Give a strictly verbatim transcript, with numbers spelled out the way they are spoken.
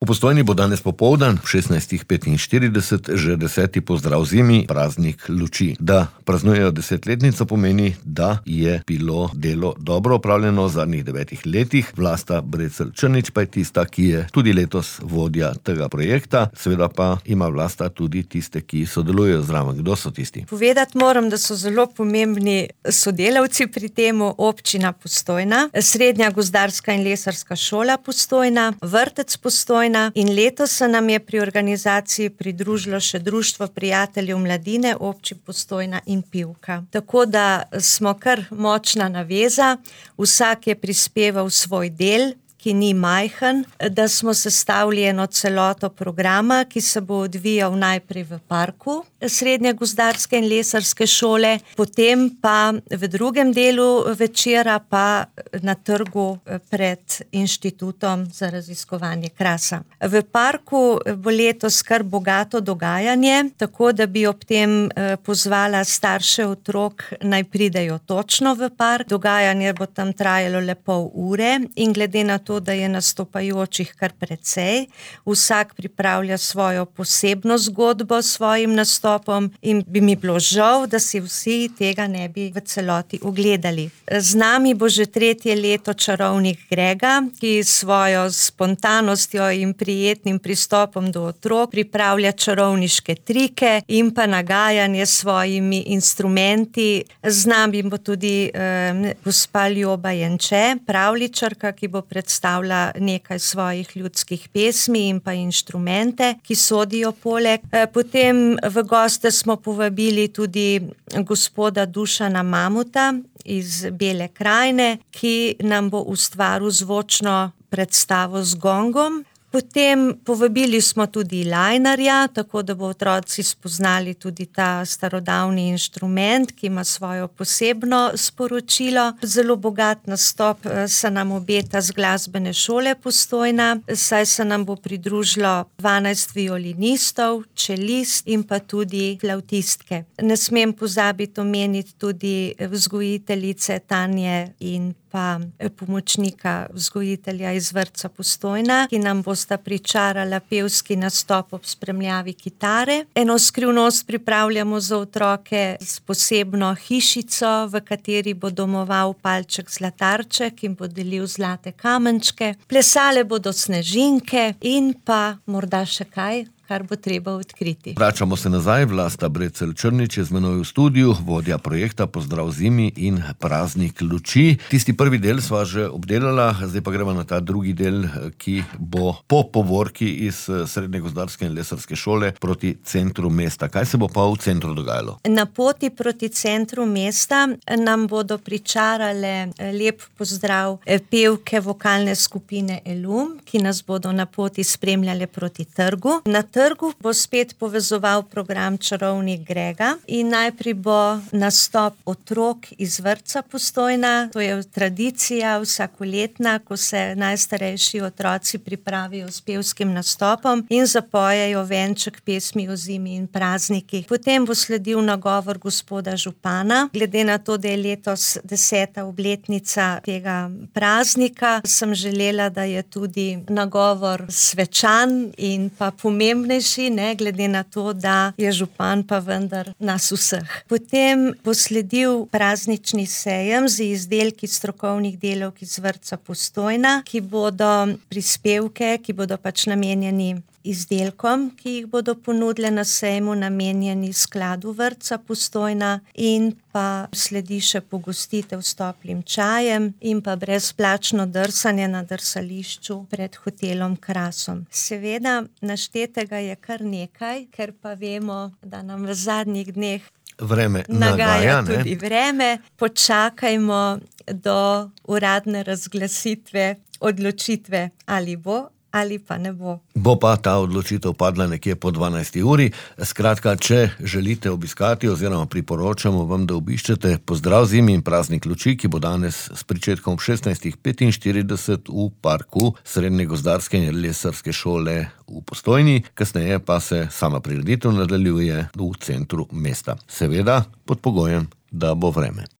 V Postojni bo danes popoldan v šestnajstih petinštirideset že deseti pozdrav zimi, praznik luči. Da praznujejo desetletnico pomeni, da je bilo delo dobro opravljeno v zadnjih devetih letih. Vlasta Brecelj Črnič pa je tista, ki je tudi letos vodja tega projekta. Seveda pa ima Vlasta tudi tiste, ki sodelujejo zraven. Kdo so tisti? Povedati moram, da so zelo pomembni sodelavci pri temu, občina Postojna, Srednja gozdarska in lesarska šola Postojna, vrtec Postojna, in letos se nam je pri organizaciji pridružilo še Društvo prijateljev mladine občin Postojna in Pivka. Tako da smo kar močna naveza, vsak je prispeval svoj del, ki ni majhen, da smo sestavili eno celoto programa, ki se bo odvijal najprej v parku Srednje gozdarske in lesarske šole, potem pa v drugem delu večera pa na trgu pred Inštitutom za raziskovanje krasa. V parku bo letos kar bogato dogajanje, tako da bi ob tem pozvala starše otrok, naj pridejo točno v park. Dogajanje bo tam trajalo le pol ure in glede na to, da je nastopajočih kar precej, vsak pripravlja svojo posebno zgodbo s svojim nastopom in bi mi bilo žal, da si vsi tega ne bi v celoti ogledali. Z nami bo že tretje leto čarovnik Grega, ki s svojo spontanostjo in prijetnim pristopom do otrok pripravlja čarovniške trike in pa nagajanje s svojimi instrumenti. Z nami bo tudi eh, gospa Ljoba Jenče, pravljičarka, ki bo predstavila nekaj svojih ljudskih pesmi in pa inštrumente, ki sodijo poleg. Potem v goste smo povabili tudi gospoda Dušana Mamuta iz Bele krajine, ki nam bo ustvaril zvočno predstavo z gongom. Potem povabili smo tudi lajnarja, tako da bo otroci spoznali tudi ta starodavni inštrument, ki ima svojo posebno sporočilo. Zelo bogat nastop se nam obeta z glasbene šole Postojna, saj se nam bo pridružilo dvanajst violinistov, čelist in pa tudi flavtistke. Ne smem pozabiti omeniti tudi vzgojiteljice Tanje in pa pomočnika vzgojitelja iz vrtca Postojna, ki nam bosta pričarala pevski nastop ob spremljavi kitare. Eno skrivnost pripravljamo za otroke s posebno hišico, v kateri bo domoval palček zlatarček in bo delil zlate kamenčke. Plesale bodo snežinke in pa morda še kaj, kar bo treba odkriti. Vračamo se nazaj. Vlasta Brecelj Črnič je z menoj v studiu, vodja projekta Pozdrav zimi in praznik luči. Tisti prvi del sva že obdelala, zdaj pa gremo na ta drugi del, ki bo po povorki iz Srednje gozdarske in lesarske šole proti centru mesta. Kaj se bo pa v centru dogajalo? Na poti proti centru mesta nam bodo pričarale lep pozdrav pevke vokalne skupine Elum, ki nas bodo na poti spremljale proti trgu. Na trgu bo spet povezoval program Čarovnik Grega in najprej bo nastop otrok iz vrtca Postojna. To je tradicija vsakoletna, ko se najstarejši otroci pripravijo s pevskim nastopom in zapojejo venček pesmi o zimi in praznikih. Potem bo sledil nagovor gospoda župana. Glede na to, da je letos deseta obletnica tega praznika, sem želela, da je tudi nagovor svečan in pa pomemben, ne, glede na to, da je župan pa vendar nas vseh. Potem bo sledil praznični sejem z izdelki strokovnih delavk iz vrtca Postojna, ki bodo prispevke, ki bodo pač namenjeni izdelkom, ki jih bodo ponudile na sejmu, namenjeni skladu vrtca Postojna, in pa sledi še pogostitev s toplim čajem in pa brezplačno drsanje na drsališču pred hotelom Krasom. Seveda, naštetega je kar nekaj, ker pa vemo, da nam v zadnjih dneh vreme nagaja nagaja, tudi vreme. Počakajmo do uradne razglasitve odločitve, ali bo ali pa ne bo. Bo pa ta odločitev padla nekje po dvanajsti uri. Skratka, če želite obiskati oziroma priporočamo vam, da obiščete Pozdrav zimi in praznik luči, ki bo danes s pričetkom v šestnajstih petinštirideset v parku Srednje gozdarske in lesarske šole v Postojni, kasneje pa se sama prireditev nadaljuje v centru mesta. Seveda pod pogojem, da bo vreme.